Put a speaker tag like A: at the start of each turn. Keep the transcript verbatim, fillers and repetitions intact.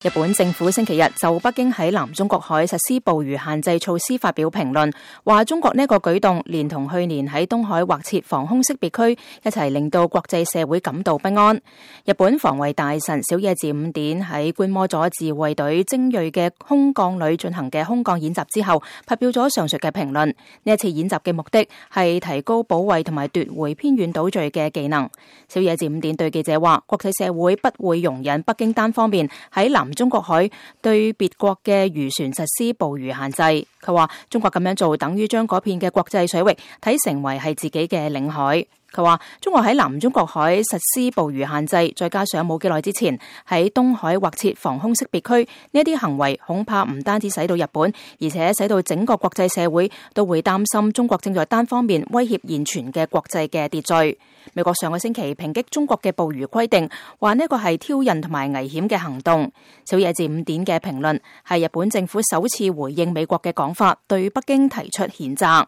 A: 日本政府星期日就北京喺南中國海實施捕魚限制措施發表評論，話中國呢個舉動連同去年喺東海劃設防空識別區一齊令到國際社會感到不安。日本防衛大臣小野寺五典喺觀摩咗自衛隊精銳嘅空降旅進行嘅空降演習之後，發表咗上述嘅評論。呢一次演習嘅目的係提高保衛同埋奪回偏遠島嶼嘅技能。小野寺五典對記者話，國際社會不會容忍北京單方面喺南中國海對別國嘅漁船實施捕魚限制。佢話中國咁樣做等於將嗰片嘅國際水域睇成為係自己嘅領海。佢話中國喺南中國海實施捕魚限制，再加上冇幾耐之前喺東海劃設防空識別區，呢啲行為恐怕唔單止使到日本，而且使到整個國際社會都會擔心中國正在單方面威脅現存嘅國際嘅秩序。美國上個星期抨擊中國嘅捕魚規定，話呢個係挑釁同埋危險嘅行動。小野寺五典嘅評論係日本政府首次回應美國嘅講法，對北京提出譴責。